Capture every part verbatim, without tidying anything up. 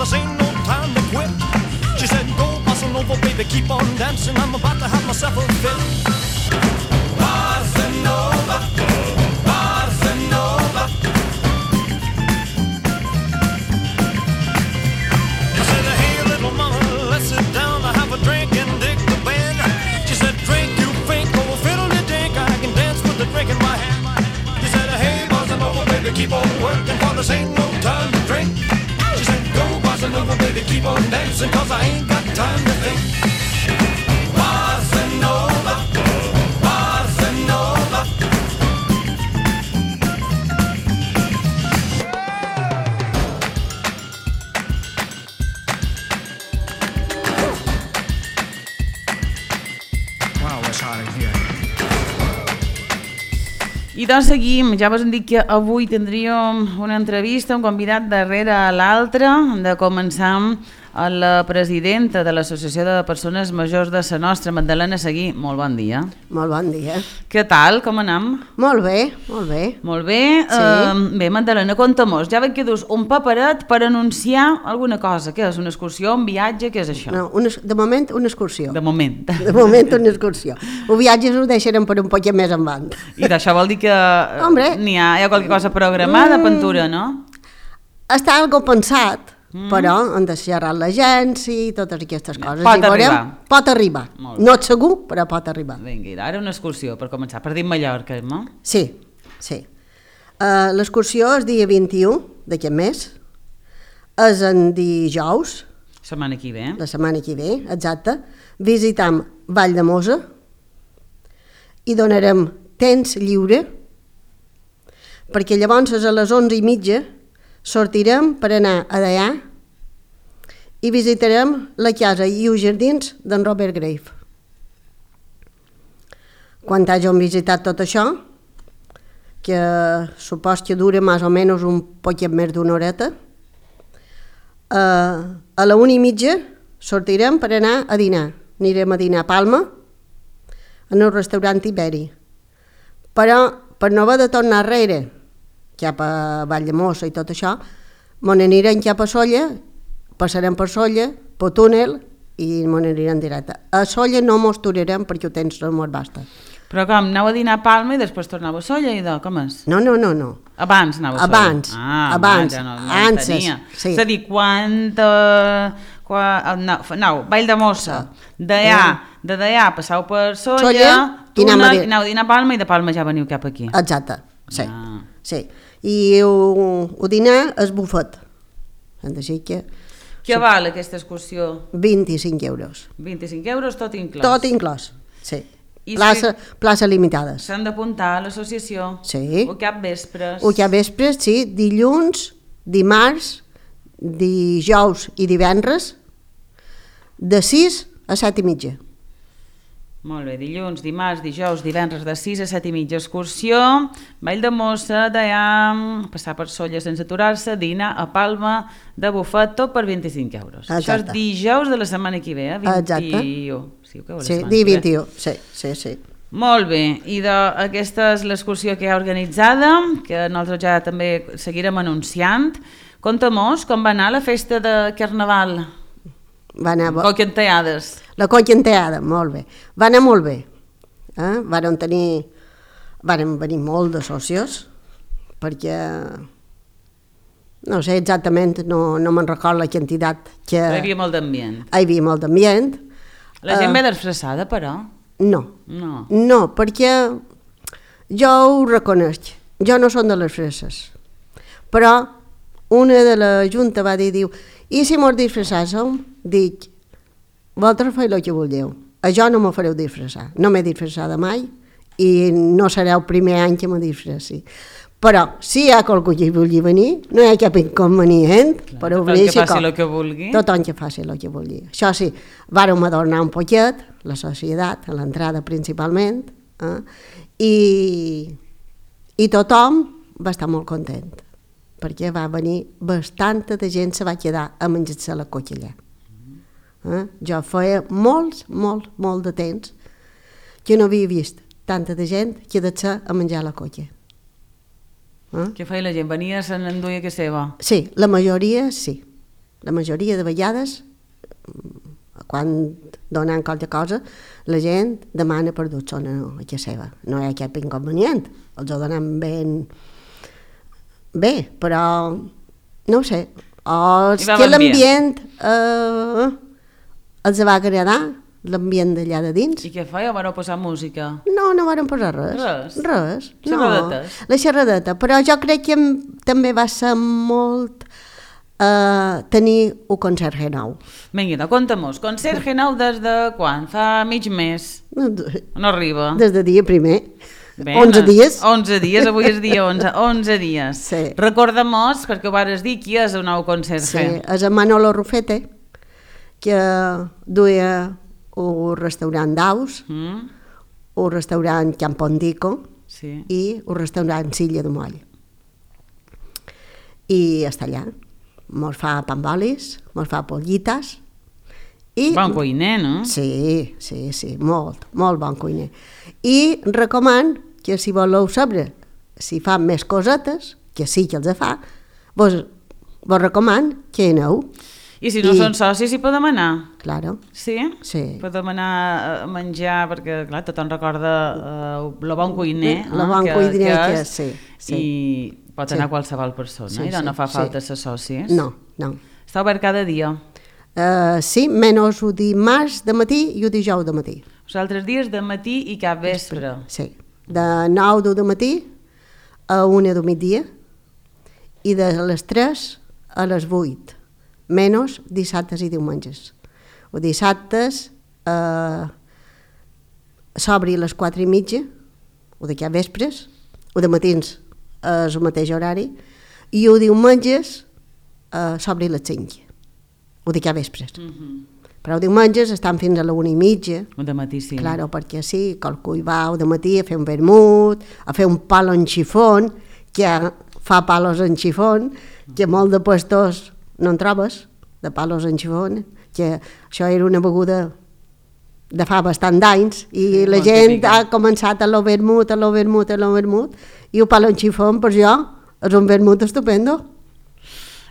this ain't no time to quit. She said, go bossa nova, baby, keep on dancing. I'm about to have myself a fit. Bossa nova, bossa nova. I said, hey, little mama, let's sit down. I have a drink and dig the band. She said, drink, you think, go fiddle the dink. I can dance with the drink in my hand. She said, hey, bossa nova, baby, keep on working, for this ain't no time to drink. She said, go bossa nova, baby, keep on dancing, cause I ain't got time to think. Bossa nova, bossa nova. Wow, it's hot in here. I doncs seguim, ja vos hem dit que avui tindríem una entrevista, un convidat darrere a l'altre. Hem de començar amb la presidenta de l'Associació de Persones Majors de Sa Nostra, Magdalena Seguí. Molt bon dia. Molt bon dia. Què tal, com anem? Molt bé, molt bé. Molt bé. Sí. Uh, bé, Magdalena, conta-mos. Ja veig que dus un paperet per anunciar alguna cosa. Què és? Una excursió, un viatge? Què és això? No, una, de moment, una excursió. De moment. De moment, una excursió. Els viatges ho deixarem per un poquet més endavant. I d'això vol dir que n'hi ha, hi ha qualque cosa programada, mm. pintura, no? Està algo pensat, mm. però han de xerrar l'agència i totes aquestes coses. Pot I veurem, arribar. Pot arribar. No és segur, però pot arribar. Vinga, ara una excursió, per començar, per dir Mallorca, no? Sí, sí. Uh, l'excursió és dia vint-i-u d'aquest mes, és en dijous, setmana que ve. la setmana que ve, exacte. Visitam Vall de Mosa i donarem temps lliure, perquè llavors a les onze i mitja sortirem per anar a Deià i visitarem la casa i els jardins d'en Robert Grave. Quan hàgim visitat tot això, que supos que dura més o menys un poquet més d'una horeta, eh, a la una i mitja sortirem per anar a dinar. Anirem a dinar a Palma, en un restaurant iberi. Però, per no haver de tornar arrere, cap a Valldemossa i tot això, mon anirem cap a Solla, passarem per Solla, per túnel, i mon anirem directe. A Solla no mos aturarem perquè ho tens molt basta. Però com, aneu a dinar a Palma i després tornava a Solla i de, com és? No, no, no, no. Abans anava a Solla? Abans, ah, abans, ja no, no antes, tenia. sí. És a dir, quan... Uh, quan no, no, Vall de Mossa, Deià, de Deià passau per Solla, Solla i túnel, aneu a, aneu a dinar a Palma i de Palma ja veniu cap aquí. Exacte, sí. Ah. sí. I el dinar és bufet. Així que... Què val aquesta excursió? vint-i-cinc euros. vint-i-cinc euros, tot inclòs? Tot inclòs, sí. I plaça, si... plaça limitades. S'han d'apuntar a l'associació? Sí. O cap vespres? O cap vespres, sí. Dilluns, dimarts, dijous i divendres, de sis a set i mitja. Molt bé, dilluns, dimarts, dijous, divendres de sis a set i mitja, excursió, Vall de Mossa, Deià, passar per Solla sense aturar-se, dinar a Palma de bufet, tot per vint-i-cinc euros. Exacte. Això és dijous de la setmana que ve, eh? Exacte. vint-i-u. Sí, que sí dia vint-i-u, sí, sí, sí. Molt bé, i de, aquesta és l'excursió que hi ha organitzada, que nosaltres ja també seguirem anunciant. Conta-mos com va anar la festa de Carnaval. Va anar... Coquenteades. La coquenteada, molt bé. Va anar molt bé. Eh? Varen tenir... Varen venir molt de sòcies, perquè... No sé exactament, no, no me'n recordo la quantitat que... Hi havia molt d'ambient. Hi havia molt d'ambient. La gent uh, ve disfressada, però? No. No. No, perquè jo ho reconec. Jo no som de les fresses. Però una de la junta va dir, diu, i si mos disfressàssim? Dic, vosaltres feu el que vulgueu. A jo no me fareu disfressar. No m'he disfressada mai i no serà el primer any que me disfressi. Però si hi ha qualcú que vulgui venir, no hi ha cap inconvenient. Clar, tothom que faci el que vulgui. Tothom que faci el que vulgui. Això sí, vàrem adornar un poquet, la societat, a l'entrada principalment, eh? I, i tothom va estar molt content, perquè va venir bastanta de gent, se va quedar a menjar-se la coca allà. Eh? Jo feia molts, molt, molt de temps que no havia vist tanta de gent quedar-se a menjar la coca. Eh? Què feia la gent? Venia, se n'enduia que seva? Sí, la majoria sí. la majoria de vegades, quan donen qualque cosa, la gent demana per dur zona a casa seva. No hi ha cap inconvenient, els ho donem ben bé, però no ho sé, o és que l'ambient eh, els va agradar, l'ambient d'allà de dins. I què feia? Van posar música? No, no van posar res. Res? Res. Xerradetes? No, la xerradeta, però jo crec que també va ser molt Uh, tenir un concert nou. Vinga, conta-mos, concert nou des de quan? Fa mig mes? No, no arriba. Des de dia primer. Ben, onze dies. onze dies, avui és dia onze. onze dies. Sí. Recorda-mos, perquè ho vares dir, qui és el nou concert? Sí, és en Manolo Rufete, que duia un restaurant d'Aus, mm. un restaurant Campondico sí. i un restaurant Silla de Moll. I està allà. Mos fa pambolis, mos fa pollites. I... Bon cuiner, no? Sí, sí, sí, molt, molt bon cuiner. I recoman que si voleu saber si fa més cosetes, que sí que els fa, vos, vos recoman que aneu. I si no I... són socis, hi podem anar? Claro. Sí? Sí. Podem anar a menjar, perquè clar, tothom recorda uh, el bon cuiner. El eh, bon que, cuiner que, que és, sí, sí. I pot anar sí. qualsevol persona, sí, i no, sí, no fa falta sí. ser socis? No, no. Està obert cada dia? Uh, sí, menys el dimarts de matí i el dijous de matí. Els altres dies de matí i cap vespre? Sí, de nou de matí a una de migdia i de les tres a les vuit, menys dissabtes i diumenges. O dissabtes eh, s'obri a les quatre i mitja, o de cap vespres, o de matins és el mateix horari, i o diumenges eh, s'obri a les cinc, o de cap vespres. Mm-hmm. Però diumenges estan fins a la una i mitja. O de matí, sí. Claro, perquè sí, qualcú hi va o de matí a fer un vermut, a fer un palo en xifón, que fa palos en xifón, que molt de puestos no en trobes, de palos en xifón, que això era una beguda de fa bastant d'anys, i sí, la gent típica. Ha començat a lo vermut, a lo vermut, a lo vermut, i el palo en xifón, per jo, és un vermut estupendo.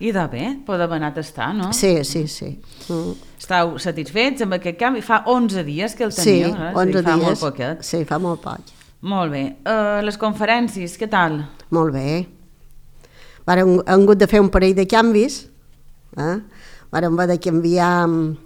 I de bé, podem anar a tastar, no? Sí, sí, sí. Mm. Estàu satisfets amb aquest canvi? Fa onze dies que el teniu, sí, eh? onze fa dies. molt poquet. Sí, fa molt poc. Molt bé. Uh, les conferències, què tal? Molt bé. Vàrem, hem hagut de fer un parell de canvis. Eh? Vàrem haver de canviar uh,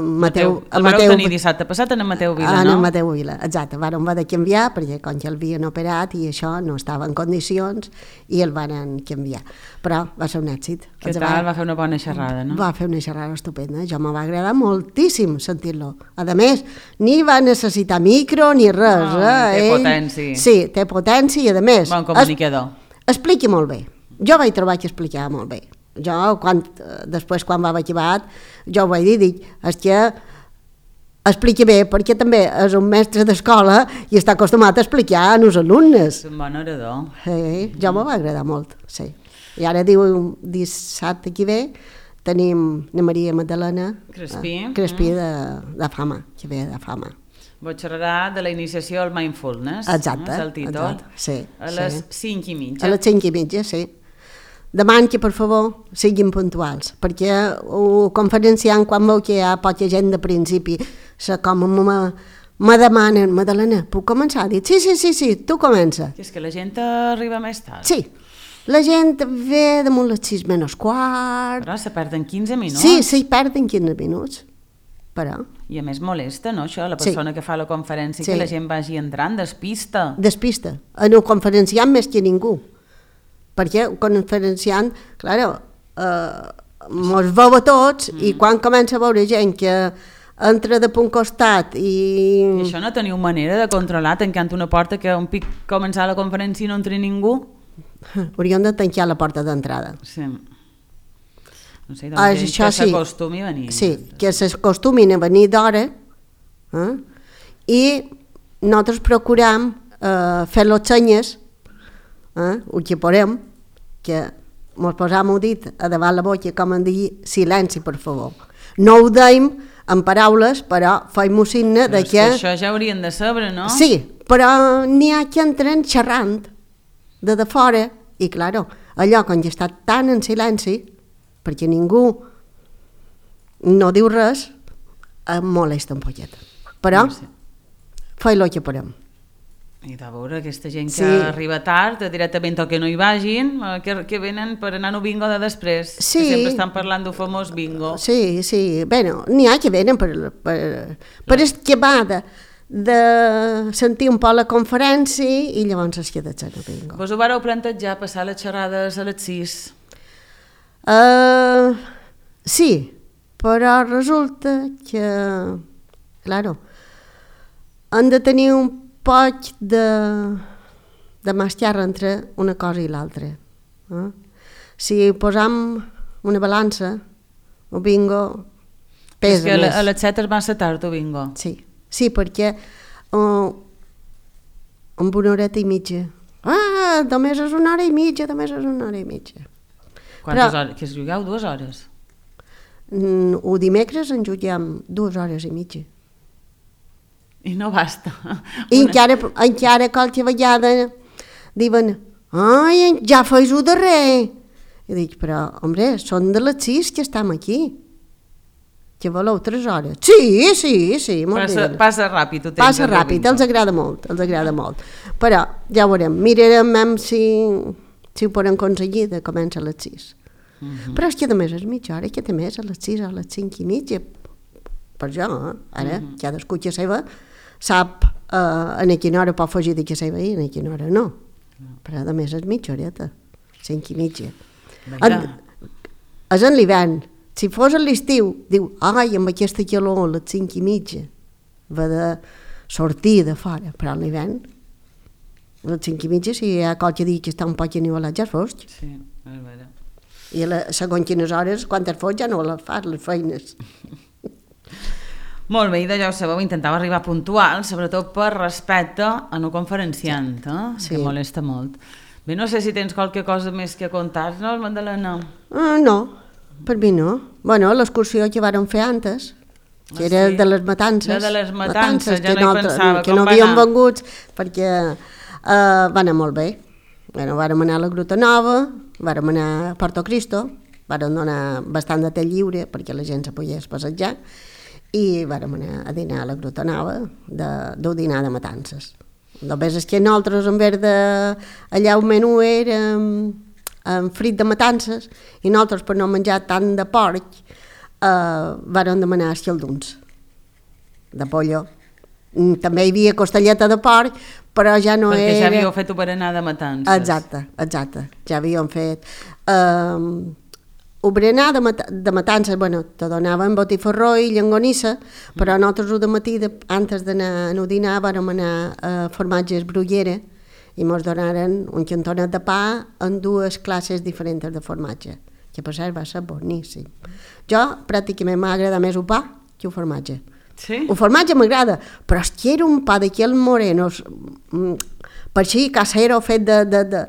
Mateu... El vareu tenir dissabte passat en Mateu Vila, ah, no? En Mateu Vila, exacte. Vàrem haver de canviar perquè com que l'havien operat i això no estava en condicions i el van canviar. Però va ser un èxit. Què tal? Va... va fer una bona xerrada, no? Va fer una xerrada estupenda. Jo me va agradar moltíssim sentir-lo. A més, ni va necessitar micro ni res. No, eh? té Ell... potència. Sí, té potència i a més... Bon comunicador. Es... Expliqui molt bé. Jo vaig trobar que explicava molt bé. Jo, quan, després quan va acabat, jo ho vaig dir, dic, és que expliqui bé, perquè també és un mestre d'escola i està acostumat a explicar als alumnes. És un bon orador. Sí, jo m'ho va agradar molt, sí. I ara diu, dissabte que ve, tenim la Maria Magdalena Crespí, eh, Crespí de, de fama, que ve de fama. Vos xerrarà de la iniciació al mindfulness. Exacte, és el títol. exacte, sí. A les sí. cinc i mitja. A les cinc i mitja, sí. Deman que, per favor, siguin puntuals, perquè el conferenciant, quan veu que hi ha poca gent de principi, se com me, me demanen, Madalena, puc començar? Dic, sí, sí, sí, sí, tu comença. Que és que la gent arriba més tard. Sí, la gent ve damunt les sis menys quart. Però se perden quinze minuts. Sí, sí, perden quinze minuts. Però... I a més molesta, no, això, la persona sí. que fa la conferència, sí. que la gent vagi entrant, despista. Despista. En el conferenciant més que ningú. Perquè el conferenciant, clar, eh, mos veu a tots mm. i quan comença a veure gent que entra de punt costat i... I això no teniu manera de controlar tancant una porta que un pic començar la conferència i no entri ningú? Hauríem de tancar la porta d'entrada. Sí. No sé, doncs ah, que s'acostumi a venir. Sí, que s'acostumin a venir d'hora eh? I nosaltres procuram eh, fer les senyes, eh? el que podem, que mos posam el dit a davant la boca com en dir silenci, per favor. No ho deim en paraules, però feim-ho signe de que... que això ja haurien de saber, no? Sí, però n'hi ha que entren xerrant de de fora, i claro, allò quan ja està tan en silenci, perquè ningú no diu res, em molesta un poquet. Però, Sí. fa el que podem. I de veure aquesta gent que Sí. arriba tard, directament o que no hi vagin, eh, que, que venen per anar a bingo de després, Sí. que sempre estan parlant d'un famós bingo. Sí, sí, bueno, n'hi ha que venen per, per, per esquemar de, de sentir un poc la conferència i llavors es queda a bingo. Vos ho vareu plantejar, passar les xerrades a les sis? Uh, sí, però resulta que, claro, han de tenir un poc de, de mascarra entre una cosa i l'altra. Eh? Si posam una balança, el bingo pesa És que a, més. la- a les set és massa tard, o bingo. Sí, sí, perquè uh, amb una horeta i mitja. Ah, només és una hora i mitja, només és una hora i mitja. Quantes Però- hores? Que es jugueu dues hores? Mm, o dimecres en juguem dues hores i mitja. I no basta. I Una- encara, encara qualque vegada diuen, ai, ja feis ho darrer. I dic, però, hombre, són de les sis que estem aquí. Que voleu tres hores? Sí, sí, sí, molt Passa, bé. passa ràpid, ho tens. Passa el ràpid, bingo. els agrada molt, els agrada molt. Però ja ho veurem, mirarem em si, si ho podem aconseguir de començar a les sis. Mhm. Però és que a més és mitja hora, que a més a les sis o a les cinc i mitja. Per jo, eh? Ara, Mhm. cadascú que seva sap eh, en quina hora pot fugir de que seva i en quina hora no. Però a més és mitja horeta, cinc i mitja. Vaja. En, és en l'hivern. Si fos a l'estiu, diu, ai, amb aquesta calor, a les cinc i mitja, va de sortir de fora, però a l'hivern, a les cinc i mitja, si hi ha qualque dia que està un poc anivelat, ja és fosc. Sí, és vera. I a la, segons quines hores, quan es fos, ja no les fas, les feines. Molt bé, i d'allò ho sabeu, intentava arribar puntual, sobretot per respecte a no conferenciant, eh? Sí. Que molesta molt. Bé, no sé si tens qualque cosa més que contar-nos, Magdalena. Uh, no, per mi no. Bueno, l'excursió que vàrem fer antes, que Ah, era sí? de les matances. La de les matances, ja que no hi pensava, que com no va havíem anar? vengut, perquè uh, va anar molt bé. Bueno, vàrem anar a la Gruta Nova, vàrem anar a Porto Cristo, vàrem donar bastant de temps lliure perquè la gent se pogués passejar, i vàrem anar a dinar a la Gruta Nova, de, del dinar de matances. Només és que nosaltres, en vez de allà el menú era amb frit de matances, i nosaltres, per no menjar tant de porc, eh, vàrem demanar escalduns de pollo. Mm, També hi havia costelleta de porc, però ja no Perquè era... ja havíeu fet berenar de matances. Exacte, exacte, ja havíem fet. Um, el berenar de, mat de matances, bueno, te donaven botifarró i llangonissa, però nosaltres de matí, de, antes d'anar a dinar, vàrem anar a formatges Bruguera i ens donaren un cantonet de pa en dues classes diferents de formatge, que per cert va ser boníssim. Jo pràcticament m'agrada més el pa que el formatge. Sí? El formatge m'agrada, però és que era un pa d'aquells morenos, mm, per així, casero, fet de... de, de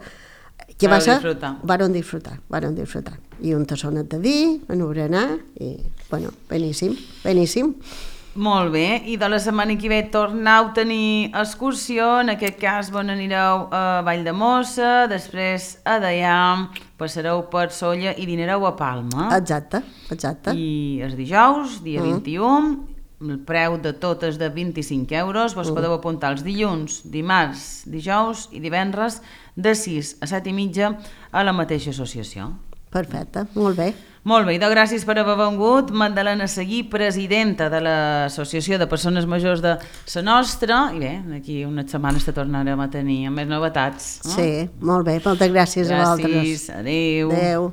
que va Vau ser... disfrutar. Varen disfrutar, varen disfrutar. I un tassonet de vi, en un berenar, i, bueno, beníssim, beníssim. Molt bé, i de la setmana que ve tornau a tenir excursió, en aquest cas bon, anireu a Vall de Mossa, després a Deià, passareu per Sóller i dinareu a Palma. Exacte, exacte. I el dijous, dia Mm. vint-i-u, el preu de tot és de vint-i-cinc euros, vos Mm. podeu apuntar els dilluns, dimarts, dijous i divendres de sis a set i mitja a la mateixa associació. Perfecte, molt bé. Molt bé, i de gràcies per haver vengut, Magdalena Seguí, presidenta de l'Associació de Persones Majors de la Nostra, i bé, d'aquí unes setmanes te tornarem a tenir amb més novetats. No? Sí, molt bé, moltes gràcies, a vosaltres. Gràcies, adéu. Adéu.